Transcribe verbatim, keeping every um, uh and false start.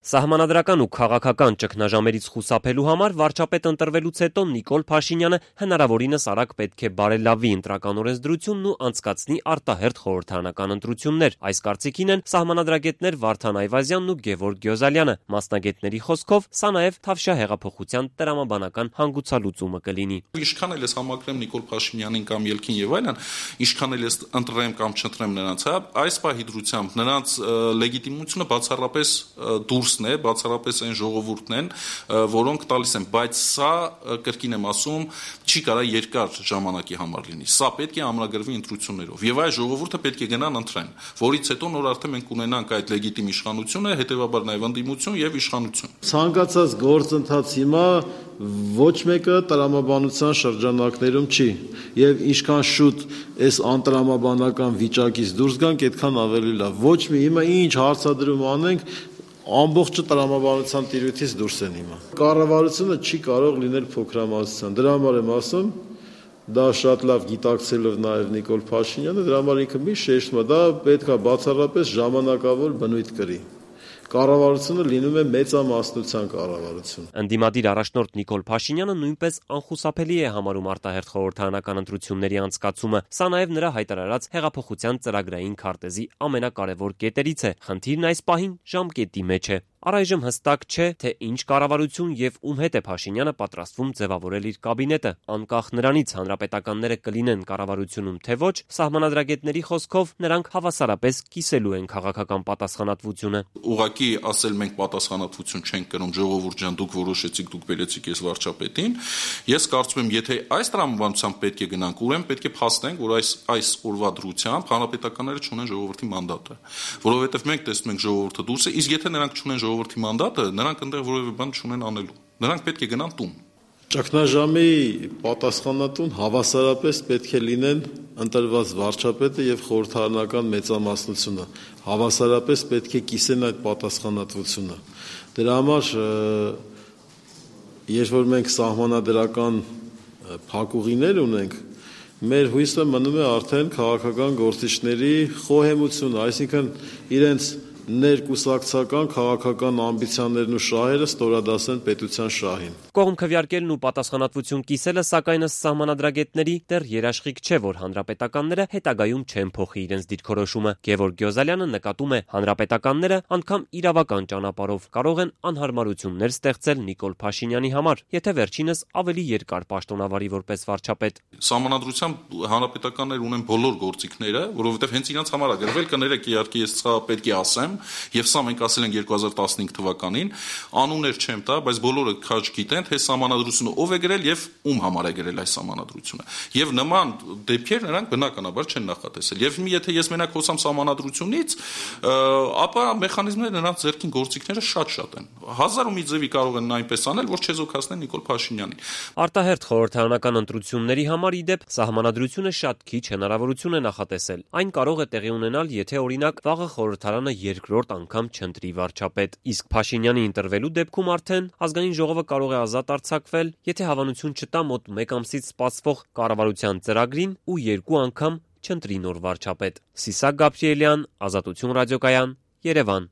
Սահմանադրական ու քաղաքական ճգնաժամերից խուսափելու համար վարչապետ ընտրվելուց հետո Նիկոլ Փաշինյանը հնարավորինս արագ պետք է բարելավի ընտրական օրենսդրությունն ու անցկացնի արտահերթ խորհրդարանական ընտրություններ։ Այս կարծիքին են սահմանադրագետներ Վարդան Այվազյանն ու Գևորգ Գյոզալյանը։ Մասնագետների խոսքով սա նաև Թավշյա հեղափոխության տրամաբանական հանգուցալուծումը կլինի։ Ինչքան էլ ես համակրեմ Նիկոլ Փաշինյանին կամ Ելքին եւ այլն, ինչքան էլ ես ընտրեմ կամ չընտրեմ նրանց, հա, այս պահի դրությամբ նրանց լեգիտիմությունը բացառապես դուրս է, բացառապես այն ժողովուրդն են, որոնք տալիս են, բայց սա, կրկին եմ ասում, չի կարա երկար ժամանակի համար լինի։ Սա պետք է ամրագրվի ընտրություններով։ Եվ այս ժողովուրդը պետք է գնան ընտրեն, որից հետո նոր արդեն մենք ունենանք այդ լեգիտիմ իշխանությունը, հետևաբար նաև ընդդիմություն եւ իշխանություն։ Ցանկացած գործընթաց հիմա ոչ մեկը տրամաբանության շրջանակներում չի, եւ ինչքան շուտ այս անտրամաբանական վիճակից դուրս գանք, այդքան ավելի լավ։ Ոչ մի հիմա ինչ հարցադրում անենք, ամբողջը տրամաբանության տիրույթից դուրս են հիմա։ Կառավարությունը չի կարող լինել փոքրամասնության։ Դրա համար եմ ասում, դա շատ լավ գիտակցելով նաև Նիկոլ Փաշինյանը, դրա համար ինքը միշտ շեշտում է, դա պետք է բացառապես ժամանակավոր բնույթ կրի։ Կառավարությունը լինում է մեծամասնության կառավարություն։ Ընդդիմադիր առաջնորդ Նիկոլ Փաշինյանը նույնպես անխուսափելի է համարում արտահերթ խորհրդարանական ընտրությունների անցկացումը։ Սա նաև նրա հայտարարած հեղափոխության ծրագրային քարտեզի ամենակարևոր կետերից է։ Խնդիրն այս պահին ժամկետի մեջ է։ Առայժմ հստակ չէ, թե ինչ կառավարություն եւ ում հետ է Փաշինյանը պատրաստվում ձևավորել իր կաբինետը։ Անկախ նրանից հանրապետականները կլինեն կառավարությունում թե ոչ, սահմանադրագետների խոսքով նրանք հավասարապես կիսելու են քաղաքական պատասխանատվությունը։ Ուղղակի ասել մենք պատասխանատվություն չենք կրում, ժողովուրդ ջան, դուք որոշեցիք, դուք բերեցիք այս վարչապետին։ Ես կարծում եմ, եթե այս տրամաբանությամբ պետք է գնանք, ուրեմն պետք է փաստենք, որ այս այս օրվա դրությամբ հանրապետականները չունեն ժողովրդի մանդատը, որովհետեւ մենք տեսնում ենք ժողովուրդը դուրս է, իսկ եթե նրանք չունեն ժողովրդի մանդատը, նրանք այնտեղ որևէ բան չունեն անելու։ Նրանք պետք է գնան տուն։ Ճգնաժամի պատասխանատուն հավասարապես պետք է լինեն ընտրված վարչապետը եւ խորհրդարանական մեծամասնությունը։ Հավասարապես պետք է կիսեն այդ պատասխանատվությունը։ Դրա համար երբ որ մենք սահմանադրական փակուղիներ ունենք, մեր հույսը մնում է արդեն քաղաքական գործիչների խոհեմությունը, այսինքն իրենց ներկուսակցական քաղաքական ամբիցիաներն ու շահերը ստորադասեն պետության շահին։ Կողմ քվեարկելն ու պատասխանատվություն կիսելը սակայն ըստ սահմանադրագետների դեռ երաշխիք չէ, որ հանրապետականները հետագայում չեն փոխի իրենց դիրքորոշումը։ Գևորգ Գյոզալյանը նկատում է, հանրապետականները անգամ իրավական ճանապարհով կարող են անհարմարություններ ստեղծել Նիկոլ Փաշինյանի համար, եթե վերջինս ավելի երկար պաշտոնավարի որպես վարչապետ։ Սահմանադրությամբ հանրապետականներ ունեն բոլոր գործիքները, որովհետև հենց իրենց համար է գրվել, կներեք, իհարկե ես սա պետք է ասեմ, եւ սա մենք ասել ենք երկու հազար տասնհինգ թվականին, անուններ չեմ տա, բայց բոլորը քաջ գիտեն, թե սահմանադրությունը ով է գրել եւ ում համար է գրել այս սահմանադրությունը։ Եվ նման դեպքեր նրանք բնականաբար չեն նախատեսել։ Եվ եթե ես մենակ խոսամ սահմանադրությունից, ապա մեխանիզմները նրանց ձեռքին գործիքները շատ-շատ են։ Հազար ու մի ձևի կարող են այնպես անել, որ չեզոքացնեն Նիկոլ Փաշինյանին։ Արտահերթ խորհրդարանական ընտրությունների համար ի դեպ սահմանադրությունը շատ քիչ հնարավորություն է նախատեսել։ Այն կարող է տեղի ունենալ, եթե օրինակ վաղը խորհրդարանը երկրորդ անգամ չընտրի վարչապետ, իսկ Փաշինյանի ընտրվելու դեպքում արդեն ազգային ժողովը կարող է ազատ արձակվել, եթե հավանություն չտա մոտ մեկ ամսից սպասվող կառավարության ծրագրին ու երկու անգամ չընտրի նոր վարչապետ։ Սիսակ Գաբրիելյան, Ազատություն ռադիոկայան, Երևան։